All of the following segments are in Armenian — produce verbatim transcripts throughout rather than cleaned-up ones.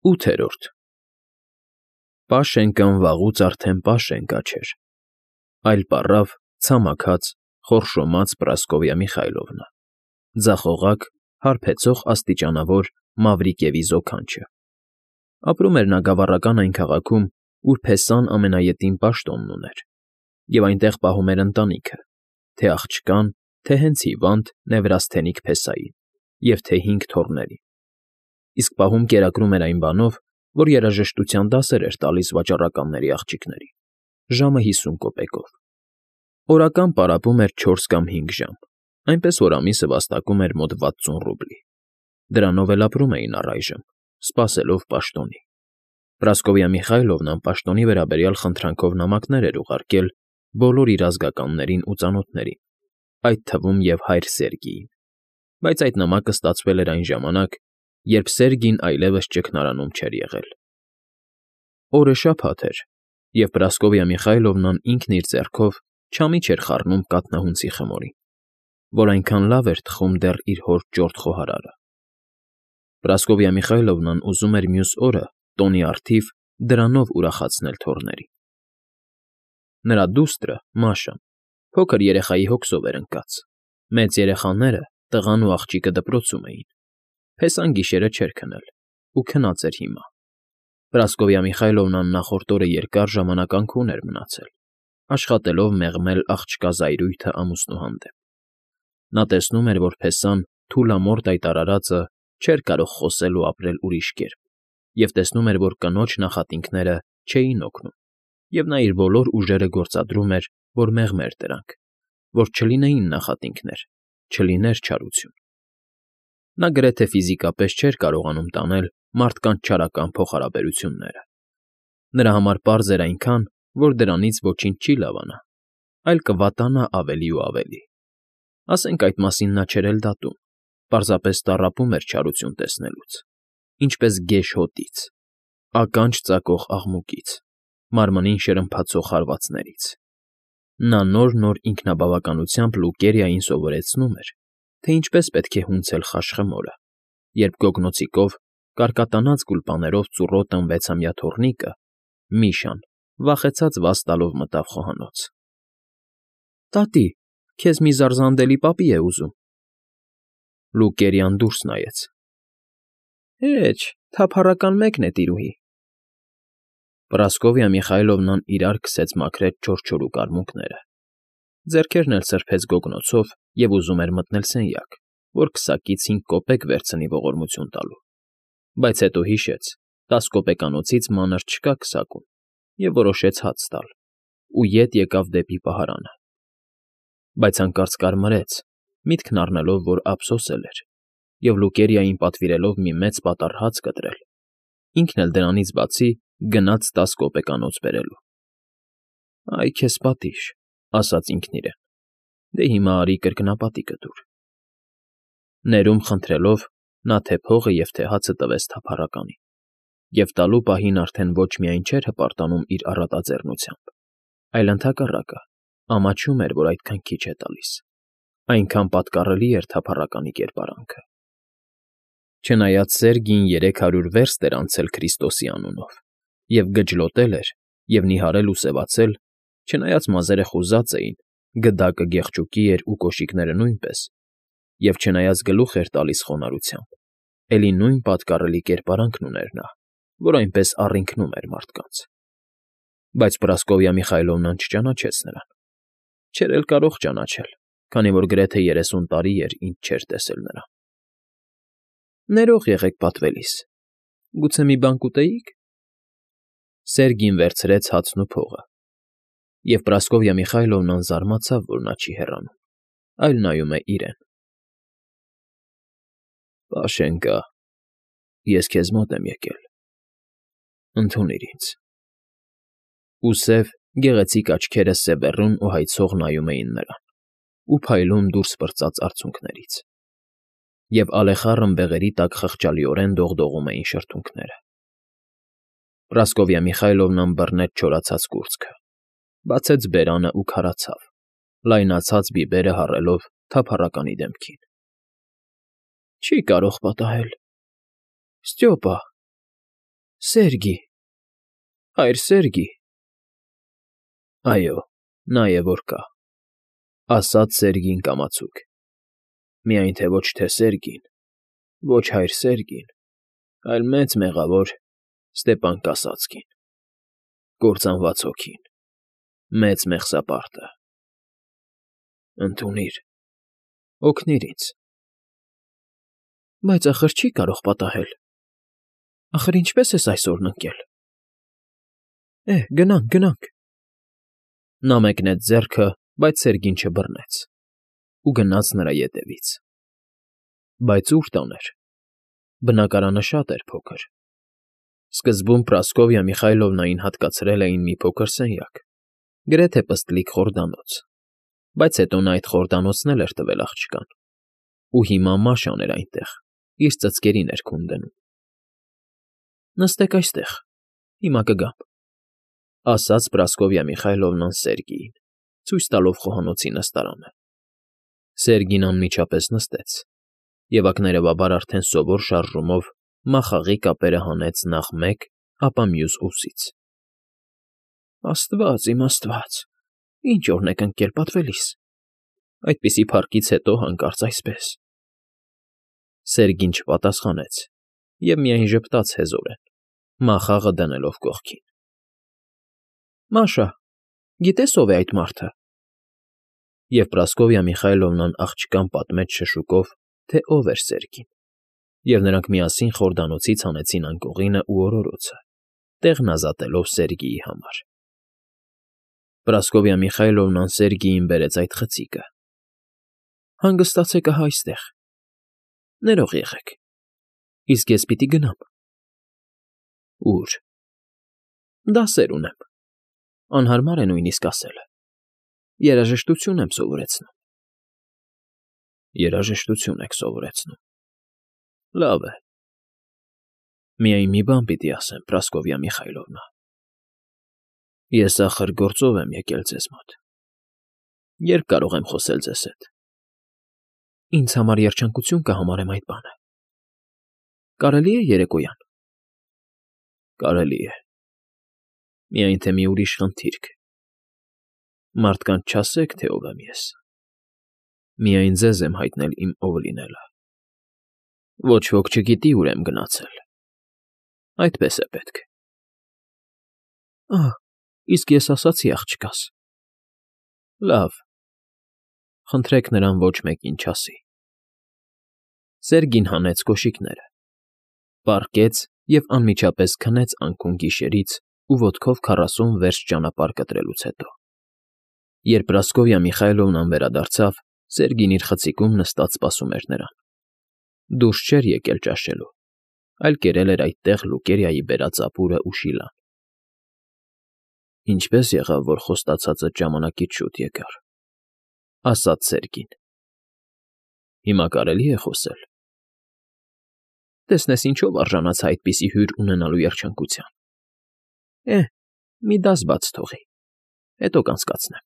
ՈՒԹԵՐՈՐԴ Պաշենկան վաղուց արդեն Պաշենկա չէր, այլ պառավ, ցամաքած, խորշոմած Պրասկովյա Միխայիլովնա, ձախողակ, հարբեցող աստիճանավոր Մավրիկևի զոքանչը. ապրում էր նա գավառական այն քաղաքում, ուր փեսան ամենաետին պաշտոնն ուներ, և այնտեղ պահում էր ընտանիքը, թե՛ աղջկան, թե՛ հենց հիվանդ, Նևրաստենիկ փեսային և թե՛ հինգ թոռներին, իսկ պահում կերակրում էր այն բանով, որ երաժշտության դասեր էր տալիս վաճառականների աղջիկներին, ժամը հիսուն կոպեկով. օրական պարապում էր չորս կամ հինգ ժամ, այնպես որ ամիսը վաստակում էր մոտ վաթսուն ռուբլի. դրանով էլ ապրում էին առայժմ, սպասելով պաշտոնի. Պրասկովյա Միխայիլովնան պաշտոնի վերաբերյալ խնդրանքով նամակներ էր ուղարկել բոլոր իր ազգականներին ու ծանոթներին, այդ թվում և հայր Սերգիին, բայց այդ նամակը ստացվել էր այն ժամանակ, երբ Սերգին այլևս ճգնարանում չէր եղել. օրը շաբաթ էր, և Պրասկովյա Միխայիլովնան ինքն իր ձեռքով չամի չէր խառնում կաթնահունցի խմորին, որ այնքան լավ էր թխում դեռ իր հոր ճորտ խոհարարը. Պրասկովյա Միխայիլովնան ուզում էր մյուս օրը, տոնի առթիվ, դրանով ուրախացնել թոռներին. նրա դուստրը՝ Մաշան, փոքր երեխայի հոգսով էր ընկած, մեծ երեխաները՝ տղան ու աղջիկը դպրոցում էին, փեսան գիշերը չէր քնել ու քնած էր հիմա. Պրասկովյա Միխայիլովնան նախորդ օրը երկար ժամանակ անքուն էր մնացել, աշխատելով մեղմել աղջկա զայրույթը ամուսնու հանդեպ. նա տեսնում էր, որ փեսան, թուլամորթ այդ արարածը, չէր կարող խոսել ու ապրել ուրիշ կերպ, և տեսնում էր, որ կնոջ նախատինքները չէին օգնում, և նա իր բոլոր ուժերը գործադրում էր, որ մեղմեր դրանք, որ չլինեին նախատինքներ, չլիներ չարություն. նա գրեթե ֆիզիկապես չէր կարողանում տանել մարդկանց չարական փոխհարաբերությունները. նրա համար պարզ էր այնքան, որ դրանից ոչինչ չի լավանա, այլ կվատանա ավելի ու ավելի. ասենք այդ մասին նա չէր էլ դատում, պարզապես տառապում էր չարություն տեսնելուց, ինչպես գեշ հոտից, ականջ ծակող աղմուկից, մարմնին շրմփացող հարվածներից. նա նոր֊նոր ինքնաբավականությամբ Լուկերիային սովորեցնում էր, թե ինչպես պետք է հունցել խաշխմորը, երբ գոգնոցիկով, կարկատանած գուլպաներով ծուռոտ վեցամյա թոռնիկը՝ Միշան, վախեցած վազ տալով մտավ խոհանոց. տատի, քեզ մի զարզանդելի պապի է ուզում: Լուկերիան դուրս նայեց. Հեչ, թափառական մեկն է, տիրուհի. Պրասկովյա Միխայիլովնան իրար քսեց մաքրեց չորչորու կարմունկները, ձեռքերն էլ սրբեց գոգնոցով և ուզում էր մտնել սենյակ, որ քսակից հինգ կոպեկ վերցնի ողորմություն տալու, բայց հետո հիշեց, տաս կոպեկանոցից մանր չկա քսակում, և որոշեց հաց տալ, ու ետ եկավ դեպի պահարանը, բայց հանկարծ կարմրեց, միտքն առնելով, որ ափսոսել էր, և Լուկերիային պատվիրելով մի մեծ պատառ հաց կտրել, ինքն էլ դրանից բացի գնաց տաս կոպեկանոց բերելու։ «Այ քեզ պատիժ», ասաց ինքն իրեն, «դե հիմա արի կրկնապատի կտուր»։ Ներում խնդրելով, նա թե փողը և թե հացը տվեց թափառականին, և տալու պահին արդեն ոչ միայն չէր հպարտանում իր առատաձեռնությամբ, այլ ընդհակառակը, ամաչում էր, որ այդքան քիչ է տալիս, այնքան պատկառելի էր թափառականի կերպարանքը։ Չնայած Սերգին երեք հարյուր վերստ էր անցել Քրիստոսի անունով, և գջլոտել էր, և նիհարել ու սևացել, չնայած մազերը խուզած էին, գդակը գեղչուկի էր ու կոշիկները նույնպես, և չնայած գլուխ էր տալիս խոնարհությամբ, էլի նույն պատկառելի կերպարանքն ուներ նա, որ այնպես առինքնում էր մարդկանց։ Բայց Պրասկովյա Միխայիլովնան չճանաչեց նրան, չէր էլ կարող ճանաչել, քանի որ գրեթե երեսուն տարի էր, ինչ չէր տեսել նրան։ «Ներող եղեք պատվելիս, գուցե մի բան կուտեի՞ք»։ Սերգին վերցրեց հացն ու փողը, և Պրասկովյա Միխայիլովնան զարմացավ, որ նա չի հեռանում, այլ նայում է իրեն։ «Պաշենկա, ես քեզ մոտ եմ եկել, ընդունիր ինձ»։ Ու սև, գեղեցիկ աչքերը սևեռուն ու հայցող նայում էին նրան ու փայլում դուրս պրծած արցունքներից, և ալեխառն բեղերի տակ խղճալիորեն դողդողում էին շրթունքները։ Պրասկովյա Միխայիլովնան բռնեց չորացած կուրծքը, բացեց բերանը ու քարացավ, լայնացած բիբերը հառելով թափառականի դեմքին։ «Չի կարող պատահել, Ստյոպա, Սերգի, հայր Սերգի։ Այո, նա է որ կա, ասաց Սերգին կամացուկ, միայն թե ոչ թե Սերգին, ոչ հայր Սերգին, այլ մեծ մեղավոր Ստեպան Կասացկին, կործանված հոգին, մեծ մեղսապարտը։ Ընդունիր, օգնիր ինձ։ Բայց ախր չի կարող պատահել, ախր ինչպես ես այսօրն ընկել։ Է, գնանք, գնանք։ Նա մեկնեց ձեռքը, բայց Սերգին չբռնեց ու գնաց նրա ետևից։ Բայց ուր տաներ։ Բնակարանը շատ էր փոքր։ Սկզբում Պրասկովյա Միխայլովնային հատկացրել էին մի փոքր սենյակ, գրեթե պստլիկ խորդանոց, բայց հետո նա այդ խորդանոցն էլ էր տվել աղջկան, ու հիմա Մաշան էր այնտեղ, իր ծծկերի ներքուն դնում։ Նստեք այստեղ, հիմա կգամ, ասաց Պրասկովյա Միխայլովնան Սերգիին, ցույց տալով խոհանոցի նստարանը։ Սերգին անմիջապես նստեց, և ակներևաբար արդեն սովոր շարժումով մախաղի կապերը հանեց նախ մեկ, ապա մյուս ուսից։ Աստված իմ Աստված, ինչ օրն եք ընկել, պատվելիս, այդպիսի փառքից հետո հանկարծ այսպես։ Սերգին չպատասխանեց և միայն ժպտաց հեզորեն, մախաղը դնելով կողքին։ Մաշա, գիտե՞ս ով է այդ մարդը։ Եվ Պրասկովյա Միխայլովնան աղջկան պատմեց շշուկով, թե ով էր Սերգին, և նրանք միասին խորդանոցից հանեցին անկողինը ու օրորոցը, տեղն ազատելով Սերգիի համար։ Պրասկովյա Միխայլովնան Սերգիին բերեց այդ խցիկը։ Հանգստացեք ահա այստեղ։ Ներող եղեք, իսկ ես պիտի գնամ։ Ո՞ւր։ Դասեր ունեմ, անհարմար է նույնիսկ ասելը, երաժշտություն եմ սովորեցնում։ Երաժշտություն եք սովորեցնում։ Լավ է։ Միայն մի բան պիտի ասեմ, Պրասկովյա Միխայլովնա։ Ես ախր գործով եմ եկել ձեզ մոտ։ Երբ կարող եմ խոսել ձեզ հետ։ Ինձ համար երջանկություն կհամարեմ այդ բանը։ Կարելի է երեկոյան։ Կարելի է։ Միայն թե մի ուրիշ խնդիրք։ Մարդկանց չասեք, թե ով եմ ես։ Միայն ձեզ եմ հայտնել իմ ով լինելը։ Ոչ ոք չգիտի ուր եմ գնացել։ Այդպես է պետք։ Ահ, իսկ ես ասացի աղջկաս։ Լավ։ Խնդրեք նրան ոչ մեկին չասի։ Սերգին հանեց կոշիկները, պառկեց և անմիջապես քնեց անքուն գիշերից ու ոտքով քառասուն վերստ ճանապարհ կտրելուց հետո։ Երբ Պրասկովյա Միխայլովնան վերադարձավ, Սերգին իր խցիկում նստած սպասում էր նրան։ Դուրս չէր եկել ճաշելու, այլ կերել էր այդտեղ Լուկերիայի բերած ապուրն ու շիլան։ Ինչպե՞ս եղավ, որ խոստացածդ ժամանակից շուտ եկար, ասաց Սերգին։ Հիմա կարելի է խոսել։ Տեսնես ինչով արժանացա այդպիսի հյուր ունենալու երջանկության։ Է, մի դաս բաց թողի, հետո կանցկացնեմ։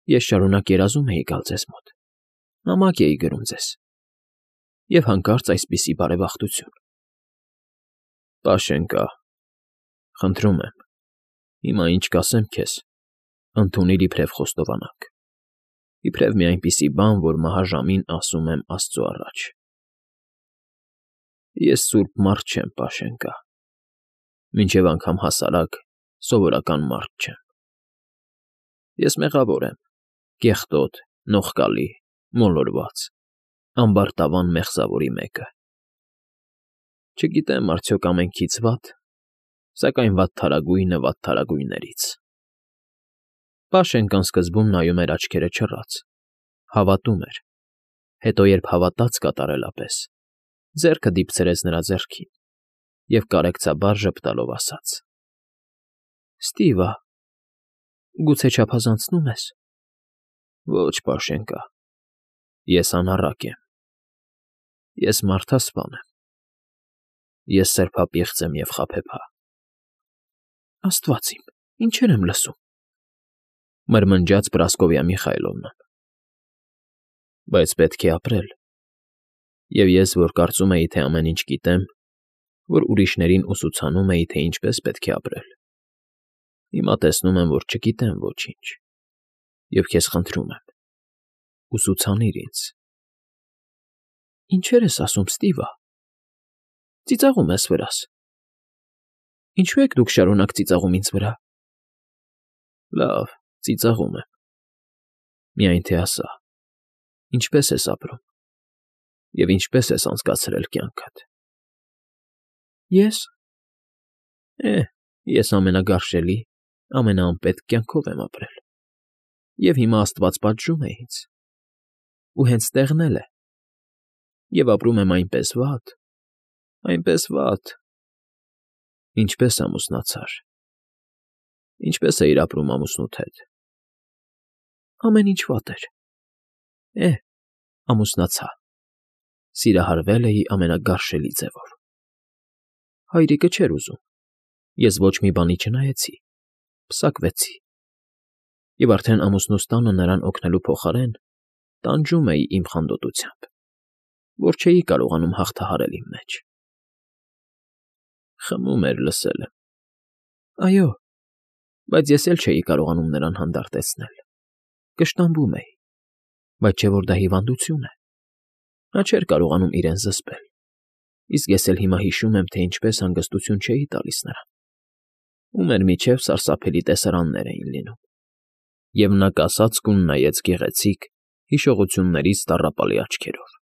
Ես շարունակ երազում էի գալ ձեզ մոտ, նամակ էի գրում ձեզ, և հանկարծ այսպիսի բարեբախտություն։ Պաշենկա, խնդրում եմ, հիմա ինչ կասեմ քեզ, ընդունիր իբրև խոստովանանք, իբրև մի այնպիսի բան, որ մահաժամին ասում եմ Աստծու առաջ։ Ես սուրբ մարդ չեմ, Պաշենկա, մինչև անգամ հասարակ, սովորական մարդ չեմ։ Ես մեղավոր եմ, կեղտոտ, նողկալի, մոլորված, ամբարտավան մեղզավորի մեկը։ Չգիտեմ արդյոք ամենքից վատ, սակայն վատթարագույնը վատթարագույններից։ Պաշենկան սկզբում նայում էր աչքերը չռած, հավատում էր, հետո երբ հավատաց կատարելապես, ձեռքը դիպցրեց նրա ձեռքին և կարեկցաբար ժպտալով ասաց. Ստիվա, գուցե չափազանցնու՞մ ես։ Ոչ, Պաշենկա, ես անառակ եմ։ Ես մարդասպան եմ։ Ես սրբապիղծ եմ և խաբեբա։ Աստված իմ, ինչեր եմ լսում, մրմնջաց Պրասկովյա Միխայլովնան։ Բայց պետք է ապրել, և ես, որ կարծում էի, թե ամեն ինչ գիտեմ, որ ուրիշներին ուսուցանում էի, թե ինչպես պետք է ապրել։ Հիմա տեսնում եմ, որ չգիտեմ ոչինչ, և քեզ խնդրում եմ, ուսուցանիր ինձ։ Ինչեր ես ասում, Ստիվա, ծիծաղում ես վրաս։ Ինչու եք դուք շարունակ ծիծաղում ինձ վրա։ Լավ, ծիծաղում եմ։ Միայն թե ասա, ինչպե՞ս ես ապրում և ինչպե՞ս ես անցկացրել կյանքդ։ Ես… Է, ես ամենագարշելի, ամենաանպետք կյանքով եմ ապրել, և հիմա աստված պատժում է ինձ, ու հենց տեղն էլ է, և ապրում եմ այնպես վատ, այնպես վատ… Ինչպե՞ս ամուսնացար։ Ինչպե՞ս էիր ապրում ամուսնուդ հետ։ Ամեն ինչ վատ էր։ Է, ամուսնացա, սիրահարվել էի ամենագարշելի ձևով։ Հայրիկը չէր ուզում, ես ոչ մի բանի չնայեցի, պսակվեցի, և արդեն ամուսնուս տանը նրան օգնելու փոխարեն տանջում էի իմ խանդոտությամբ, որ չէի կարողանում հաղթահարել իմ մեջ։ Խմում էր, լսել եմ։ Այո, բայց ես էլ չէի կարողանում նրան հանդարտեցնել, կշտամբում էի, բայց չէ որ դա հիվանդություն է։ Նա չէր կարողանում իրեն զսպել, իսկ ես էլ հիմա հիշում եմ, թե ինչպես հանգստություն չէի տալիս նրան, ու մեր միջև սարսափելի տեսարաններ էին լինում, և նա կասած կուն նայեց գեղեցիկ, հիշողություններից տառապալի աչքերով։